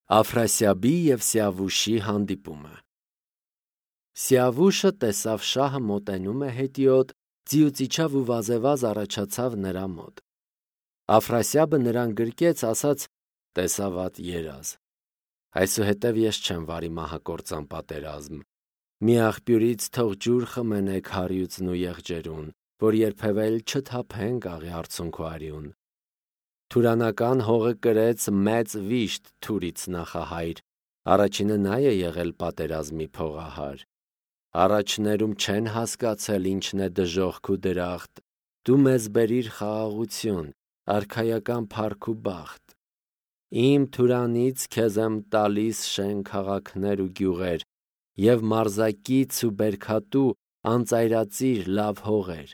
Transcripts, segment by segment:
Աֆրասիաբի և Սիավուշի հանդիպումը։ Սիավուշը տեսավ շահը մոտենում է հետիոտ, ձիուց իջավ ու վազեվազ առաջացավ նրա մոտ։ Աֆրասիաբը նրան գրկեց, ասաց. «Տեսավատ երազ, այսուհետև ես չեմ վարի մահակործան պատերազմ։ Մի աղբյուրից թող ջուր խմենեք հարյուծն ու եղջերուն, որ երբևէ էլ չթափենք աղի արցունք ու արյուն»։ Թուրանական հողը կրեց մեծ վիշտ Թուրից նախահայր, առաջինը նա է եղել պատերազմի փողահար։ Առաջներում չեն հասկացել ինչն է դժոխք ու դրախտ, դու մեզ բերիր խաղաղություն, արքայական փառք ու բախտ։ Իմ Թուրանից քեզ եմ տալիս շեն քաղաքներ ու գյուղեր, և մարզակից ու բերքատու անծայրածիր լավ հողեր։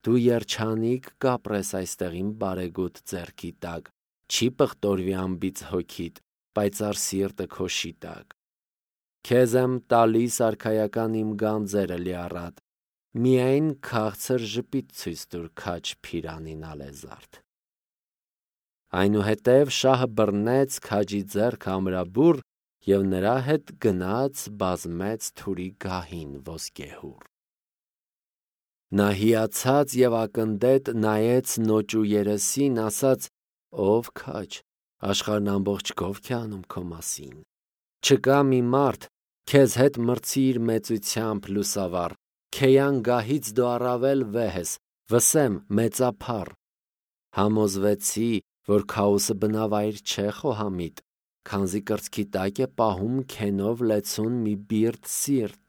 Դու երջանիկ կապրես այստեղ իմ բարեգութ ձեռքի տակ, չի պղտորվի անբիծ հոգիդ, պայծառ սիրտը քո շիտակ։ Քեզ եմ տալիս արքայական իմ գանձերը լիառատ, միայն քաղցր ժպիտ ցույց տուր քաջ Փիրանին ալեզարդ։ Այնուհետև շահը բռնեց քաջի ձեռքը ամրաբուռ և նրա հետ գնաց բազմեց Թուրի գահին ոսկեհուռ։ Նա հիացած և ակնդետ նայեց նոճու երեսին, ասաց. «Ով քաջ, աշխարհն ամբողջ գովք է անում քո մասին։ Չկա մի մարդ քեզ հետ մրցի իր մեծությամբ լուսավառ, Քեյան գահից դու առավել վեհ ես, վսեմ մեծափառ։ Համոզվեցի, որ Քաոսը բնավայր չէ խոհամիտ, քանզի կրծքի տակ է պահում քենով լեցուն մի բիրտ սիրտ»։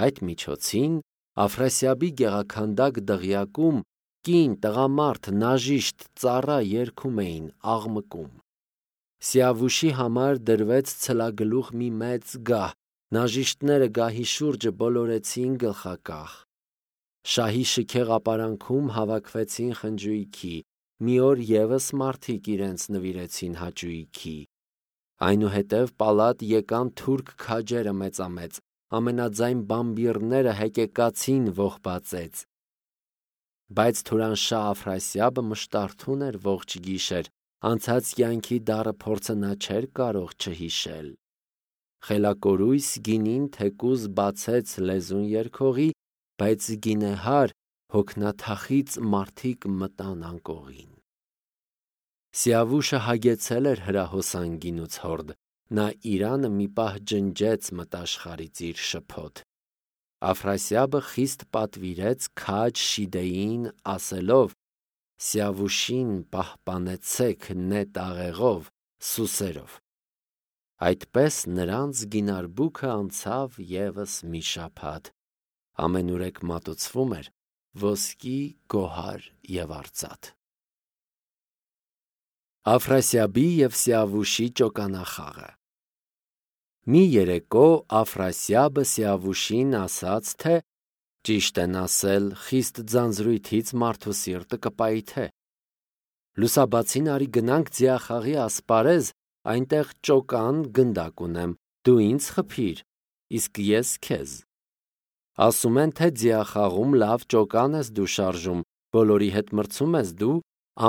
Այդ միջոցին Աֆրասիաբի գեղաքանդակ դղյակում կին, տղամարդ, նաժիշտ, ծառա երգում էին, աղմկում։ Սիավուշի համար դրվեց ցլագլուխ մի մեծ գահ, նաժիշտները գահի շուրջը բոլորեցին գլխակախ։ Շահի շքեղ ապարանքում հավաքվեցին խնջույքի, մի օր ևս մարդիկ իրենց նվիրեցին հաճույքի։ Այնուհետև պալատ եկան թուրք քաջերը մեծամեծ, ամենաձայն բամբիռները հեկեկացին ողբածեց։ Բայց Թուրանշահ Աֆրասիաբը մշտարթուն էր ողջ գիշեր, անցած կյանքի դառը փորձը նա չէր կարող չհիշել։ Խելակորույս գինին թեկուզ բացեց լեզուն երգողի, բայց գինեհար հոգնաթախիծ մարդիկ մտան անկողին։ Սիավուշը հագեցել էր հրահոսան գինուց հորդ, նա իրանը մի պահ ջնջեց մտաշխարից իր շփոթ։ Աֆրասիաբը խիստ պատվիրեց քաջ Շիդեյին ասելով. «Սիավուշին պահպանեցեք նետ աղեղով, սուսերով»։ Այդպես նրանց գինարբուքը անցավ ևս մի շաբաթ, ամենուրեք մատուցվում էր ոսկի, գոհար և արծաթ։ Աֆրասիաբի և Սիավուշի ճոկանախաղը։ Մի երեկո Աֆրասիաբը Սիավուշին ասաց, թե ճիշտ են ասել, խիստ ձանձրույթից մարդու սիրտը կպայթե։ Լուսաբացին արի գնանք ձիախաղի ասպարեզ, այնտեղ ճոկան գնդակ ունեմ, դու ինձ խփիր, իսկ ես քեզ։ Ասում են, թե ձիախաղում լավ ճոկան ես դու շարժում, բոլորի հետ մրցում ես դու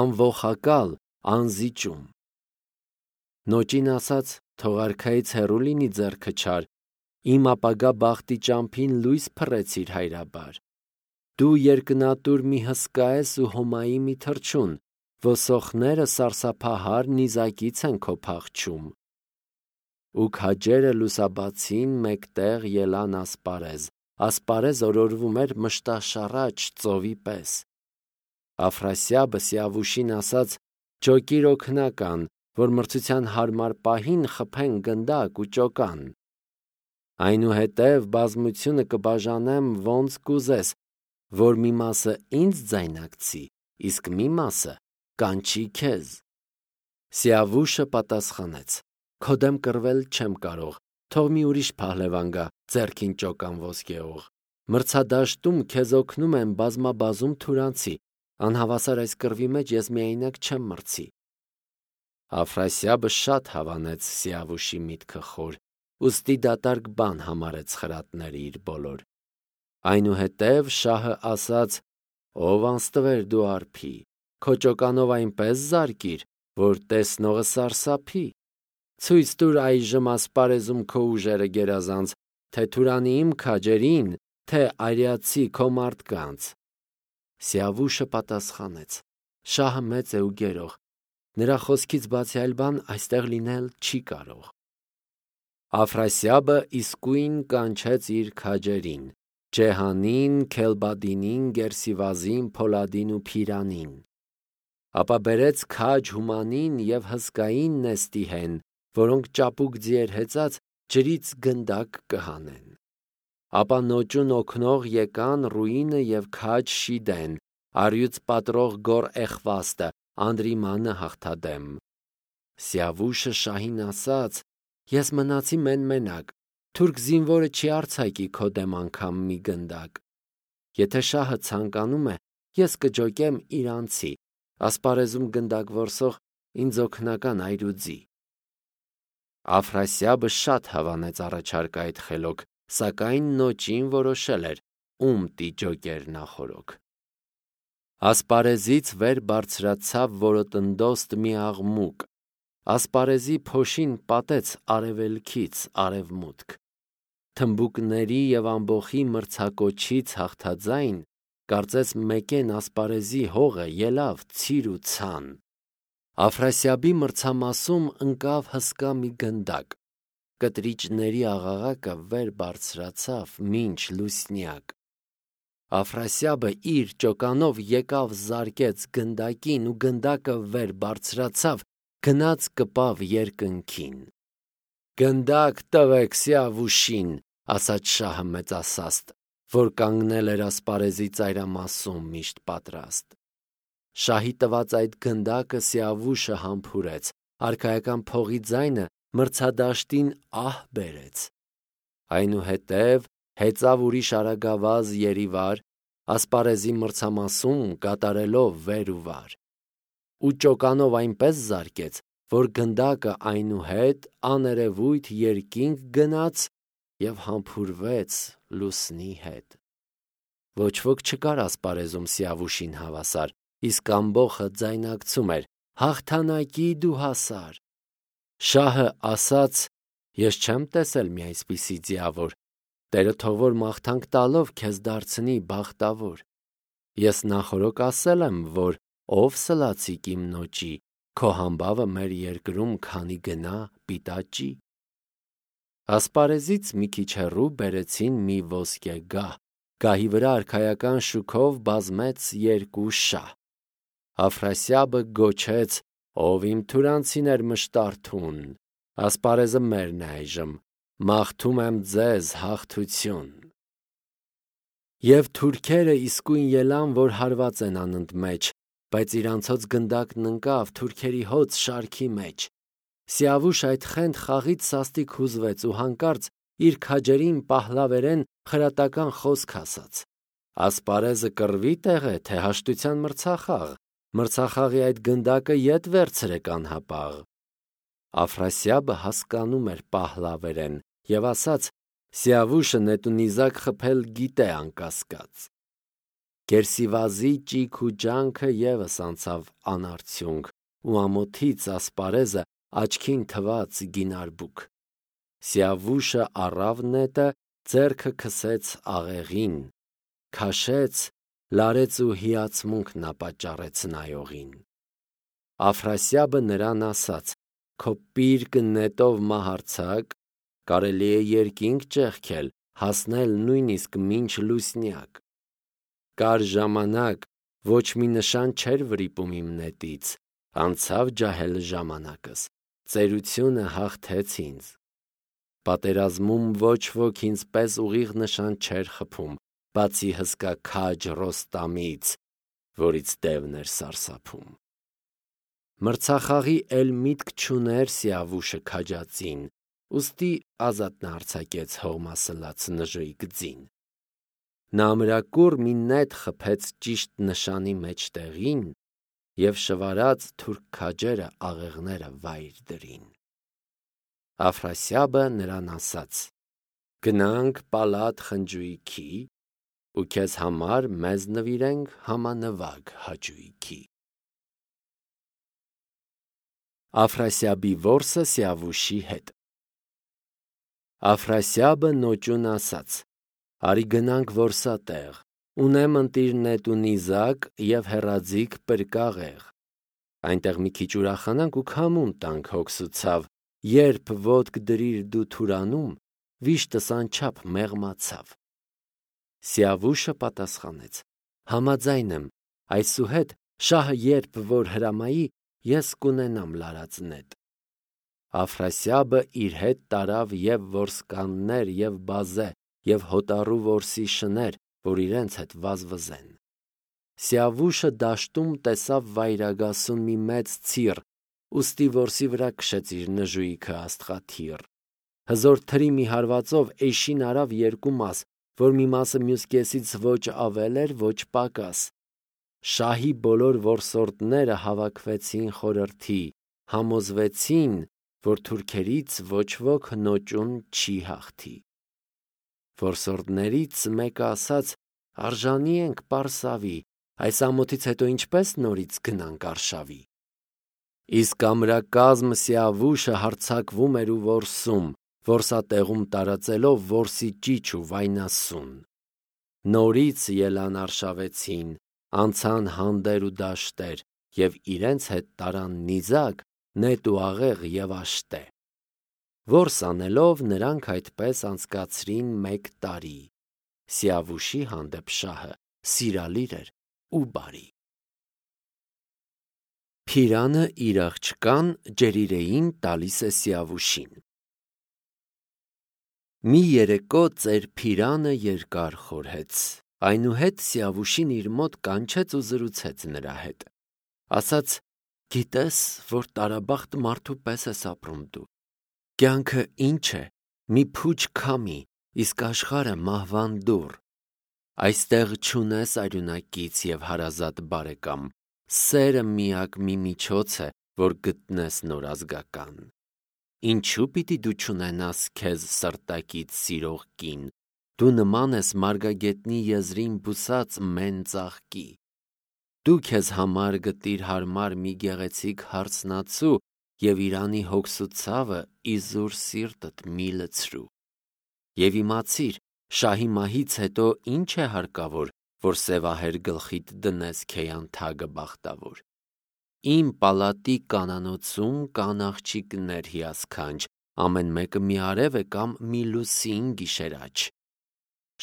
անողակալ, անզիջում։ Նոճին ասաց. թող արքայից հեռու լինի ձեռքը չար, իմ ապագա բախտի ճամփին լույս փռեցիր հայրաբար։ Դու երկնատուր մի հսկա ես ու հոմայի մի թռչուն, ոսոխները սարսափահար նիզակից են քո փախչում։ Ու քաջերը լուսաբացին մեկտեղ ելան ասպարեզ օրորվում էր մշտաշառաչ ծովի պես։ Աֆրասիաբը Սիավուշին ասաց. «Ճոկիր օգնական, որ մրցության հարմար պահին խփեն գնդակ ու ճոկան։ Այնուհետև բազմությունը կբաժանեմ ոնց կուզես, որ մի մասը ինձ ձայնակցի, իսկ մի մասը կանչի քեզ»։ Սիավուշը պատասխանեց. «Քո դեմ կռվել չեմ կարող, թող մի ուրիշ փահլևան գա, ձեռքին ճոկան ոսկեհող։ Մրցադաշտում քեզ օգնում եմ բազմաբազում թուրանցի, անհավասար այս կռվի մեջ ես միայնակ չեմ մրցի»։ Աֆրասիաբը շատ հավանեց Սիավուշի միտքը խոր, ուստի դատարկ բան համարեց խրատները իր բոլոր։ Այնուհետև շահը ասաց. «Ով անստվեր դու արփի, քո ճոկանով այնպես զարկիր, որ տեսնողը սարսափի»։ Ցույց տուր այժմ ասպարեզում քո ուժերը գերազանց, թե Թուրանի իմ քաջերին, թե արիացի քո մարդկանց։ Սիավուշը պատասխանեց. Շահը մեծ է ու գերող, նրա խոսքից բացի այլ բան այստեղ լինել չի կարող։ Աֆրասիաբը իսկույն կանչեց իր քաջերին, Ջեհանին, Քելբադինին, Գերսիվազին, Փոլադին ու Փիրանին։ Ապա բերեց քաջ Հումանին և հսկային նեստիհեն, որոնք ճապուկ ձիեր հեծած ջրից գնդակ կհանեն։ Ապա նոճուն օգնող եկան Ռուինը և քաջ Շիդեն, առյուծ պատրող գոր Էխվաստը, Անդրիմանը հաղթադեմ։ Սիավուշը շահին ասաց. Ես մնացի մենակ, թուրք զինվորը չի արձակի քո դեմ անգամ մի գնդակ։ Եթե շահը ցանկանում է, ես կջոկեմ իրանցի, ասպարեզում գնդակ որսող ինձ օգնական այրուձի։ Աֆրասիաբը շատ հավանեց առաջարկը այդ խելոք, սակայն նոճին որոշել էր, ում տիջոկեր նախորոք։ Ասպարեզից վեր բարձրացավ որոտնդոստ մի աղմուկ, ասպարեզի փոշին պատեց արևելքից արևմուտք։ Թմբուկների և ամբոխի մրցակոչից հաղթաձայն, կարծես մեկեն ասպարեզի հողը ելավ ցիր ու ցան։ Աֆրասիաբի մրցամասում ընկավ հսկա մի գնդակ, կտրիճների աղաղակը վեր բարձրացավ մինչ լուսնյակ։ Աֆրասիաբը իր ճոկանով եկավ զարկեց գնդակին ու գնդակը վեր բարձրացավ, գնաց կպավ երկնքին։ Գնդակ տվեք Սիավուշին, ասաց շահը մեծասաստ, որ կանգնել էր ասպարեզի ծայրամասում միշտ պատրաստ։ Շահի տված այդ գնդակը Սիավուշը համբուրեց, արքայական փողի ձայնը մրցադաշտին ահ բերեց։ Այնուհետև հեծավ ուրիշ արագավազ երիվար, ասպարեզի մրցամասում կատարելով վեր ու վար։ Ու ճոկանով այնպես զարկեց, որ գնդակը այնուհետ աներևույթ երկինք գնաց և համբուրվեց լուսնի հետ։ Ոչ ոք չկար ասպարեզում Սիավուշին հավասար, իսկ ամբոխը ձայնակցում էր. հաղթանակի դու հասար։ Շահը ասաց. ես չեմ տեսել մի այսպիսի ձիավոր, Տերը թող որ մաղթանք տալով քեզ դարձնի բախտավոր։ Ես նախորոք ասել եմ, որ ով սլացիկ իմ նոճի, քո համբավը մեր երկրում քանի գնա պիտաճի։ Ասպարեզից մի քիչ հեռու բերեցին մի ոսկե գահ, գահի վրա արքայական շուքով բազմեց երկու շահ։ Աֆրասիաբը գոչեց. ով իմ թուրանցիներ մշտարթուն, ասպարեզը մերն է այժմ, մաղթում եմ ձեզ հաղթություն։ Եվ թուրքերը իսկույն ելան, որ հարված են անընդմեջ, բայց իրանցոց գնդակն ընկավ թուրքերի հոծ շարքի մեջ։ Սիավուշ այդխենդ խաղից սաստիկ հուզվեց ու հանկարծ իր քաջերին պահլավերեն խրատական խոսք ասաց. ասպարեզը կռվի տեղ է, թե հաշտության մրցախաղ, մրցախաղի այդ գնդակը ետ վերցրեք անհապաղ։ Աֆրասիաբը հասկանում էր պահլավերեն և ասաց. Սիավուշը նետունիզակ խփել գիտե անկասկած։ Գերսիվազի ճիգ ու ջանքը ևս անցավ անարդյունք, ու ամոթից ասպարեզը աչքին թված գինարբուք։ Սիավուշը առավ նետը, ձեռքը քսեց աղեղին, քաշեց, լարեց ու հիացմունք ապաճառեց նայողին։ Աֆրասիաբը նրան ասաց. քո պիրկը նետով մահարձակ, կարելի է երկինք ճեղքել, հասնել նույնիսկ մինչ լուսնյակ։ Կար ժամանակ, ոչ մի նշան չէր վրիպում իմ նետից, անցավ ջահել ժամանակս, ծերությունը հաղթեց ինձ։ Պատերազմում ոչ ոք ինձ պես ուղիղ նշան չէր խփում, բացի հսկա քաջ Ռոստամից, որից դևն էր սարսափում։ Մրցախաղի էլ միտք չուներ Սիավուշը քաջածին, ուստի ազատն արձակեց հողմասլաց նժույգ ձին։ Նա ամրակուռ մի նետ խփեց ճիշտ նշանի մեջտեղին և շվարած թուրք քաջերը աղեղները վայր դրին։ Աֆրասիաբը նրան ասաց. գնանք Պալատ խնջույքի ու քեզ համար մեզ նվիրենք համանվագ հաճույքի։ Աֆրասիաբի որսը Սիավուշի հետ։ Աֆրասիաբը նոճուն ասաց. «Արի գնանք որսատեղ, ունեմ ընտիր նետ ու նիզակ և հեռաձիգ պրկաղեղ։ Այնտեղ մի քիչ ուրախանանք ու քամուն տանք», հոգսուցավ, երբ ոտք դրիր դու թուրանում, վիշտս անչափ մեղմացավ։ Սիավուշը պատասխանեց. «Համաձայն եմ, այսուհետ շահը երբ որ հրամայի, ես կունենամ լարած նետ»։ Աֆրասիաբը իր հետ տարավ և որսկաններ և բազե և հոտառու որսի շներ, որ իրենց հետ վազվզեն։ Սիավուշը դաշտում տեսավ վայրագասուն մի մեծ ցիր, ուստի որսի վրա քշեց իր նժույգը աստղաթիռ։ Հզոր թրի մի հարվածով էշին արավ երկու մաս, որ մի մասը մյուս կեսից ոչ ավել էր, ոչ պակաս։ Շահի բոլոր որսորդները հավաքվեցին խորհրդի, համոզվեցին, որ թուրքերից ոչ ոք նոճուն չի հաղթի։ Որսորդներից մեկը ասաց. «Արժանի ենք պարսավի, այս ամոթից հետո ինչպես նորից գնանք արշավի»։ Իսկ ամրակազմ Սիավուշը հարձակվում էր ու որսում, որսատեղում տարածելով որսի ճիչ ու վայնասուն։ Նորից ելան արշավեցին, անցան հանդեր ու դաշտեր և իրենց հետ տարան նիզակ, նետ ու աղեղ և աշտե։ Որս անելով նրանք այդպես անցկացրին 1 տարի։ Սիավուշի հանդեպ շահը սիրալիր էր ու բարի։ Փիրանը իր աղջկան Ջերիրեին տալիս է Սիավուշին։ Մի երեկո ծեր Փիրանը երկար խորհեց, այնուհետ Սիավուշին իր մոտ կանչեց ու զրուցեց նրա հետ։ Ասաց. «Գիտես, որ տարաբախտ մարդու պես ես ապրում դու։ Կյանքը ինչ է, մի փուչ քամի, իսկ աշխարհը մահվան դուռ։ Այստեղ չունես արյունակից և հարազատ բարեկամ, սերը միակ մի միջոց է, որ գտնես նոր ազգական։ Ինչու պիտի դու չունենաս քեզ սրտակից սիրող կին, դու նման ես մարգագետնի եզրին բուսած մեն ծաղկի։ Դու քեզ համար գտիր հարմար մի գեղեցիկ հարսնացու և իրանի հոգսու ցավը իզուր սիրտդ մի լցրու։ Եվ իմացիր, շահի մահից հետո ինչ է հարկավոր, որ սևահեր գլխիդ դնես քեյանթագը բախտավոր։ Իմ պալատի կանանոցում կան աղջիկներ հիասքանչ, ամեն մեկը մի արև է կամ մի լուսին գիշերաչ։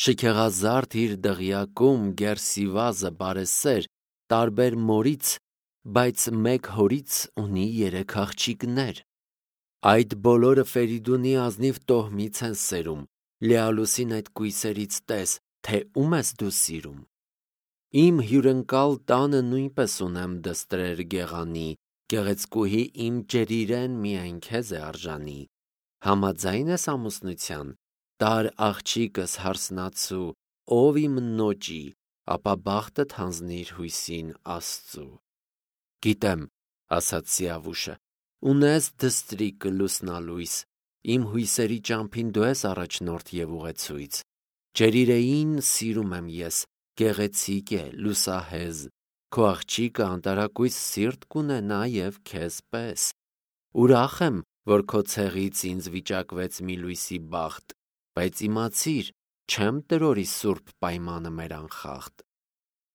Շքեղազարդ իր դղյակում գերսիվազը բարեսեր, տարբեր մորից, բայց մեկ հորից ունի 3 աղջիկներ։ Այդ բոլորը Ֆերիդունի ազնիվ տոհմից են սերում, լիալուսին այդ կույսերից տես, թե ում ես դու սիրում։ Իմ հյուրընկալ տանը նույնպես ունեմ դստրեր գեղանի, գեղեցկուհի իմ Ջերիրեն միայն քեզ է արժանի։ Համաձայն ես ամուսնության, տար աղջիկս հարսնացու, ով իմ նոճի, ապա բախտդ հանձնիր հույսին Աստծու։ Գիտեմ, ասաց Սիավուշը, ունես դստրիկ լուսնալույս, իմ հույսերի ճամփին դու ես առաջնորդ և ուղեցույց։ Ջերիրեին սիրում եմ ես, գեղեցիկ է, լուսահեզ, քո աղջիկը անտարակույս սիրտ կունենա և քեզ պես։ Ուրախ եմ, որ քո ցեղից ինձ վիճակվեց մի լույսի բախտ, բայց իմացիր, չեմ տրորի սուրբ պայմանը մեր անխախտ։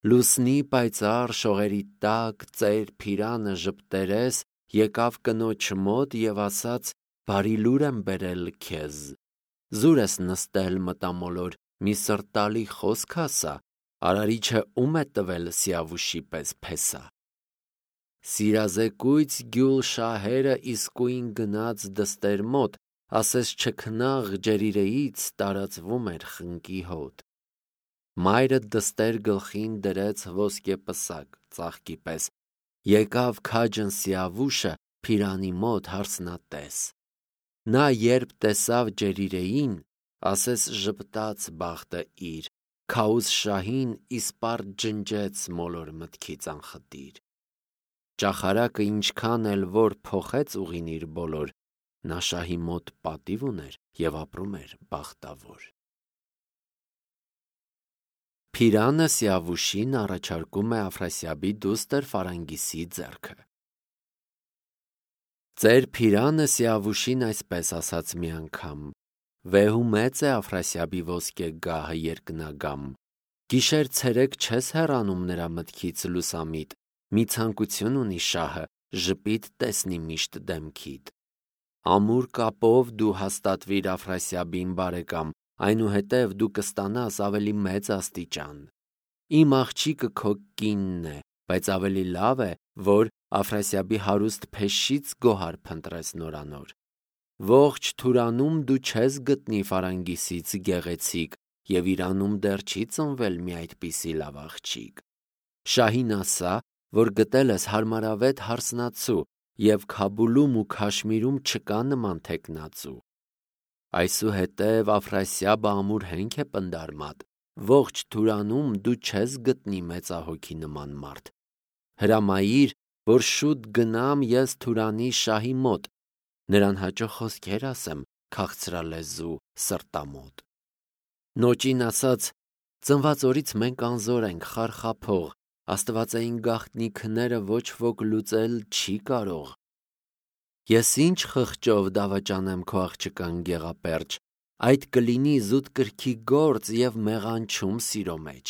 Լուսնի պայծառ շողերի տակ ծեր Փիրանը ժպտերես եկավ կնոջ մոտ և ասաց. «Բարի լուր եմ բերել քեզ»։ Զուր ես նստել մտամոլոր, մի սրտալի խոսք ասա, արարիչը ում է տվել Սիավուշի պես փեսա։ Սիրազեկույց գյուլ շահերը իսկույն գնաց դստեր մոտ, ասես չքնաղ Ջերիրեից տարածվում էր խնկի հոտ։ Մայրը դստեր գլխին դրեց ոսկե պսակ, ծաղկի պես, եկավ քաջն Սիավուշը Փիրանի մոտ հարսնատես։ Նա երբ տեսավ Ջերիրեին, ասես ժպտաց բախտը իր, քաուզ շահին իսպառ ջնջեց մոլոր մտքից անխտիր։ Ճախարակը ինչքան էլ որ փոխեց ուղին իր բոլոր, նա շահի մոտ պատիվ ուներ և ապրում էր բախտավոր։ Փիրանը Սիավուշին առաջարկում է Աֆրասիաբի դուստր Ֆարանգիսի ձեռքը։ Ձեր Փիրանը Սիավուշին այսպես ասաց մի անգամ. «Վեհու մեծ է Աֆրասիաբի ոսկե գահը երկնագամ, գիշեր ցերեկ չես հեռանում նրա մտքից լուսամիտ, մի ցանկություն ունի շահը, ժպիտ տեսնի միշտ դեմքիդ։ Ամուր կապով դու հաստատվիր Աֆրասիաբին բարեկամ, այնուհետև դու կստանաս ավելի մեծ աստիճան։ Իմ աղջիկը քո կինն է, բայց ավելի լավ է, որ Աֆրասիաբի հարուստ փեշից գոհար փնտրես նորանոր։ Ողջ Թուրանում դու չես գտնի Ֆարանգիսից գեղեցիկ, և Իրանում դեռ չի ծնվել մի այդպիսի լավ աղջիկ։ Շահին ասա, որ գտել ես հարմարավետ հարսնացու, և Քաբուլում ու Քաշմիրում չկա նման թեկնածու։ Այսուհետև Աֆրասիաբը ամուր հենք է պնդարմատ, ողջ Թուրանում դու չես գտնի մեծահոգի նման մարդ։ Հրամայիր, որ շուտ գնամ ես Թուրանի շահի մոտ, նրան հաճո խոսքեր ասեմ քաղցրալեզու սրտամոտ։ Նոճին ասաց. ծնված օրից մենք անզոր ենք, խարխափող, աստվածային գաղտնիքները ոչ ոք լուծել չի կարող։ Ես ինչ խղճով դավաճանեմ քո աղջկան գեղապերճ, այդ կլինի զուտ կրքի գործ և մեղանչում սիրո մեջ։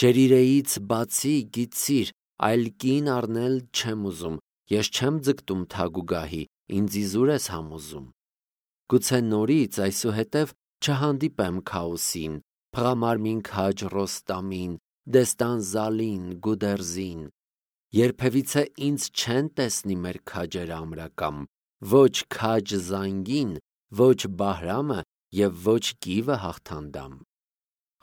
Ջերիրեից բացի գիտցիր, այլ կին առնել չեմ ուզում, ես չեմ ձգտում թագուգահի, ինձ իզուր ես համոզում։ Գուցե նորից այսուհետև չհանդիպեմ Քաոսին, փղամարմին քաջ Ռոստամին, Դեստան Զալին, Գուդերզին։ Երբևիցե ինձ չեն տեսնի մեր քաջերը ամրակամ, ոչ քաջ Զանգին, ոչ Բահրամը և ոչ կիվը հաղթանդամ։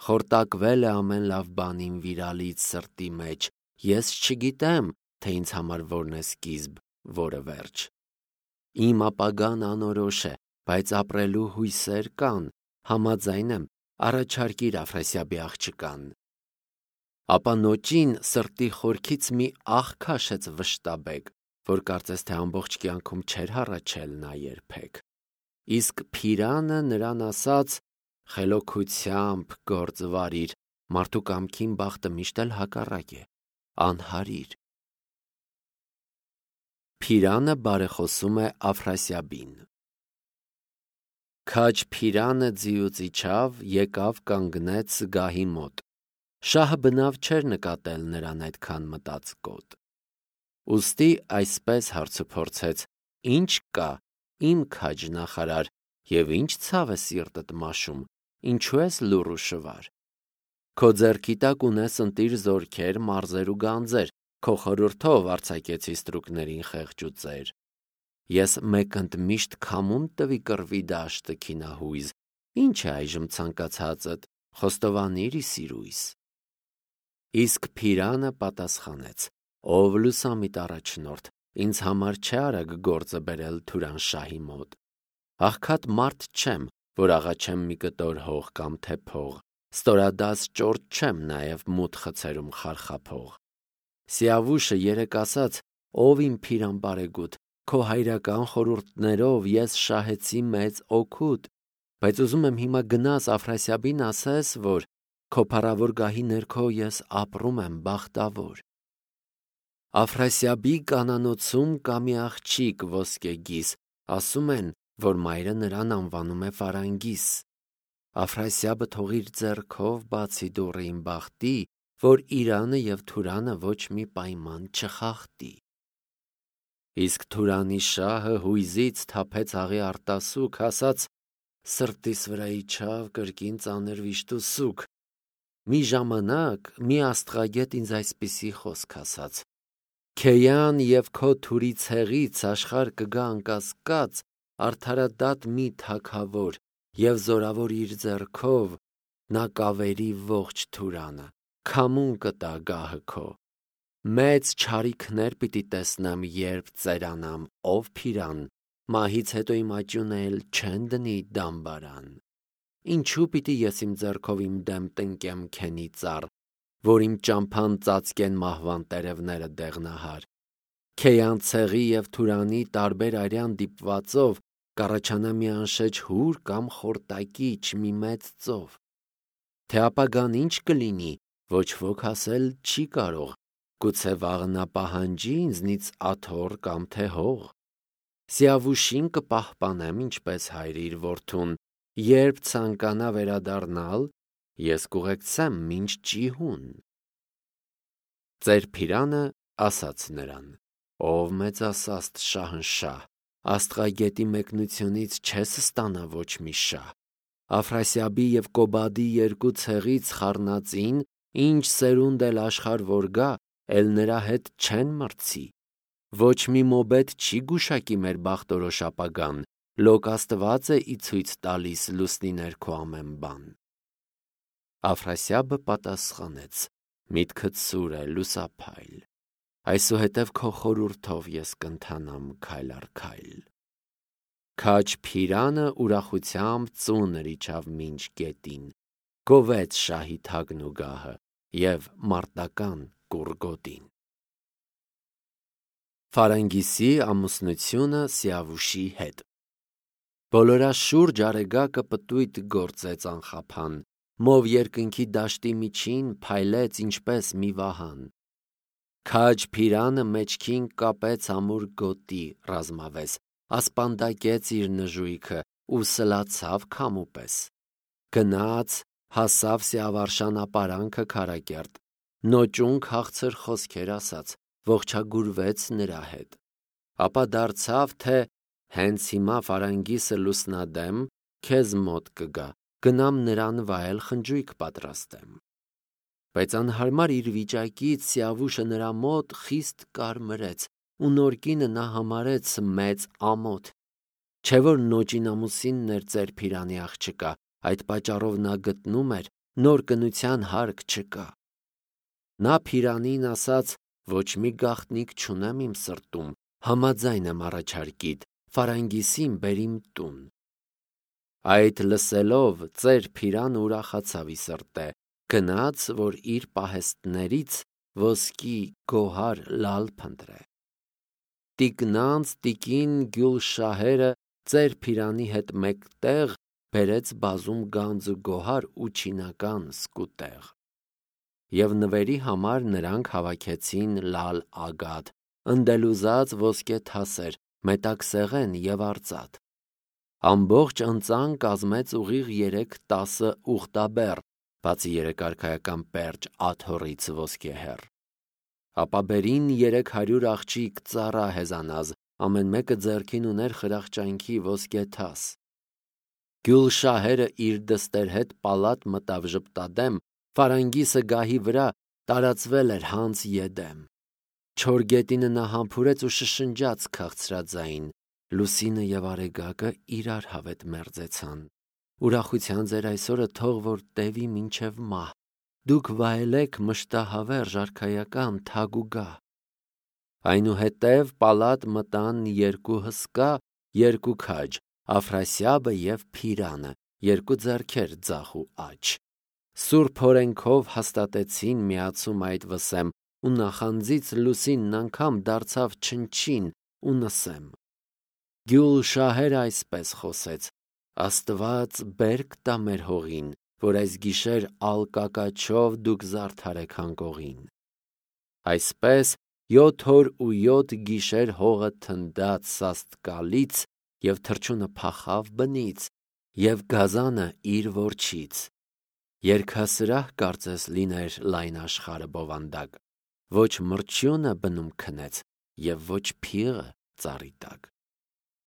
Խորտակվել է ամեն լավ բան իմ վիրալից սրտի մեջ, ես չգիտեմ, թե ինձ համար որն է սկիզբ, որը վերջ։ Իմ ապագան անորոշ է, բայց ապրելու հույսեր կան, համաձայն եմ, առաջարկիր Աֆրասիաբի աղջկան։ Ապա նոճին սրտի խորքից մի աղ քաշեց վշտաբեկ, որ կարծես թե ամբողջ կյանքում չէր հառաչել նա երբեք։ Իսկ Փիրանը նրան ասաց. խելոքությամբ գործ վարիր, մարդու կամքին բախտը միշտ էլ հակառակ է, անհարիր։ Փիրանը բարեխոսում է Աֆրասիաբին։ Քաջ Փիրանը ձիուց իջավ, եկավ կանգնեց գահի մոտ։ Շահը բնավ չէր նկատել նրան այդքան մտածկոտ։ Ուստի այսպես հարցուփորձեց. ինչ կա, իմ քաջ նախարար, և ինչ ցավ է սիրտդ մաշում, ինչու ես լուռ ու շվար։ Քո ձեռքի տակ ունես ընտիր զորքեր, մարզեր ու գանձեր, քո խորհրդով արձակեցի ստրուկներին խեղճ ու ծեր։ Ես մեկընդ միշտ քամում տվի կռվի դաշտը քինահույզ, ինչ է այժմ ցանկացածդ, խոստովանիր ի սիրույս։ Իսկ Փիրանը պատասխանեց. ով լուսամիտ առաջնորդ, ինձ համար չէ արագ գործը բերել Թուրանշահի մոտ։ Աղքատ մարդ չեմ, որ աղաչեմ մի կտոր հող կամ թե փող, ստորադաս ճորտ չեմ նաև մութ խցերում խարխափող։ Սիավուշը երեկ ասաց. ով իմ Փիրան բարեգութ, քո հայրական խորհուրդներով ես շահեցի մեծ օգուտ, բայց ուզում եմ հիմա գնաս Աֆրասիաբին ասես, որ քո փառավոր գահի ներքո ես ապրում եմ բախտավոր։ Աֆրասիաբի կանանոցում կա մի աղջիկ ոսկեգիս, ասում են, որ մայրը նրան անվանում է Ֆարանգիս։ Աֆրասիաբը թող իր ձեռքով բացի դուռը իմ բախտի, որ Իրանը և Թուրանը ոչ մի պայման չխախտի։ Իսկ Թուրանի շահը հույզից թափեց աղի արտասուք, ասաց. սրտիս վրա իջավ կրկին ծանր վիշտ ու սուգ։ Մի ժամանակ մի աստղագետ ինձ այսպիսի խոսք ասաց. Քեյան և քո թուրի ցեղից աշխարհ կգա անկասկած արդարադատ մի թագավոր, և զորավոր իր ձեռքով նա կավերի ողջ Թուրանը, քամուն կտա գահը քո։ Մեծ չարիքներ պիտի տեսնեմ, երբ ծերանամ, ով Փիրան, մահից հետո իմ աճյունը էլ չեն դնի դամբարան։ Ինչու պիտի ես իմ ձեռքով իմ դեմ տնկեմ քենի ծառ, որ իմ ճամփան ծածկեն մահվան տերևները դեղնահար։ Քեյան ցեղի և Թուրանի տարբեր արյան դիպվածով կառաջանա մի անշեջ հուր կամ խորտակիչ մի մեծ ծով։ Թե ապագան ինչ կլինի, ոչ ոք ասել չի կարող, գուցե վաղը նա պահանջի ինձնից աթոռ կամ թե հող։ Սիավուշին կպահպանեմ ինչպես հայր իր որդուն, երբ ցանկանա վերադառնալ, ես կուղեկցեմ մինչ ճիհուն։ Ծեր Փիրանը ասաց նրան. ով մեծասաստ շահնշահ, աստղագետի մեկնությունից չես ստանա ոչ մի շահ։ Աֆրասիաբի և Կոբադի երկու ցեղից խառնածին, ինչ սերունդ էլ աշխարհ որ գա, էլ նրա հետ չեն մրցի։ Ոչ մի մոբետ չի գուշակի մեր բախտորոշ ապագան, լոկ Աստված է ի ցույց տալիս լուսնի ներքո ամեն բան։ Աֆրասիաբը պատասխանեց. միտքդ սուր է, լուսափայլ, այսուհետև քո խորհուրդով ես կընթանամ քայլ առ քայլ։ Քաջ Փիրանը ուրախությամբ ծունր իջավ մինչ գետին, գովեց շահի թագն ու գահը և մարտական կուռգոտին։ Ֆարանգիսի ամուսնությունը Սիավուշի հետ։ Բոլորաշուրջ արեգակը պտույտ գործեց անխափան, մով երկնքի դաշտի միջին փայլեց ինչպես մի վահան։ Քաջ Փիրանը մեջքին կապեց ամուր գոտի ռազմավես, ասպանդակեց իր նժույգը ու սլացավ քամու պես։ Գնաց, հասավ Սիավարշան ապարանքը քարակերտ, նոճուն քաղցր խոսքեր ասաց, ողջագուրվեց նրա հետ։ Ապա դարձավ, թե հենց հիմա Ֆարանգիսը լուսնադեմ քեզ մոտ կգա, գնամ նրան վայել խնջույք պատրաստեմ։ Բայց անհարմար իր վիճակից Սիավուշը նրա մոտ խիստ կարմրեց, ու նորկինը նա համարեց մեծ ամոթ։ Չէ որ նոճին ամուսինն էր ծեր Փիրանի աղջկա, այդ պատճառով նա գտնում էր, նոր կնության հարկ չկա։ Նա Փիրանին ասաց. ոչ մի գաղտնիք չունեմ իմ սրտում, համաձայն եմ առաջարկիդ, Ֆարանգիսին բեր իմ տուն։ Այդ լսելով ծեր Փիրանը ուրախացավ ի սրտե, գնաց, որ իր պահեստներից ոսկի գոհար լալ փնտրե։ Տիկնանց տիկին Գյուլշահերը ծեր Փիրանի հետ մեկտեղ բերեց բազում գանձ ու գոհար ու չինական սկուտեղ։ Եվ նվերի համար նրանք հավաքեցին լալ ագաթ, ընդելուզած ոսկե թասեր, մետաքսեղեն և արծաթ։ Ամբողջ ընծան կազմեց ուղիղ 3-10 ուխտաբեռ, բացի երեկարգայական պերճ աթոռից ոսկեհեռ։ Ապա բերին 300 աղջիկ ծառա հեզանազ, ամեն մեկը ձեռքին ուներ խրախճանքի ոսկե թաս։ Գյուլշահերը իր դստեր հետ պալատ մտավ ժպտադեմ, Ֆարանգիսը գահի վրա տարածվել էր հանց եդեմ։ Չոր գետինը նա համբուրեց ու շշնջաց քաղցրաձայն։ Լուսինը և արեգակը իրար հավետ մերձեցան։ Ուրախության ձեր այսօրը թող որ տևի մինչև մահ։ Դուք վայելեք մշտահավերժ արքայական թագ ու գահ։ Այնուհետև պալատ մտան երկու հսկա, երկու քաջ, Աֆրասիաբը և Փիրանը, երկու ձեռքեր ձախ ու աջ։ Սուրբ օրենքով հաստատեցին միացում այդ վսեմ, ու նախանձից լուսինն անգամ դարձավ չնչին ու նսեմ։ Գյուլշահերը այսպես խոսեց. Աստված բերք տա մեր հողին, որ այս գիշեր ալկակաչով դուք զարդարեք հանգողին։ Այսպես 7 օր ու 7 գիշեր հողը թնդաց սաստկալից, և թռչունը փախավ բնից, և գազանը իր որջից։ Երգասրահ կարծես լիներ լայն աշխարհը բովանդակ, ոչ մրջյունը բնում քնեց, և ոչ փիղը ծառի տակ։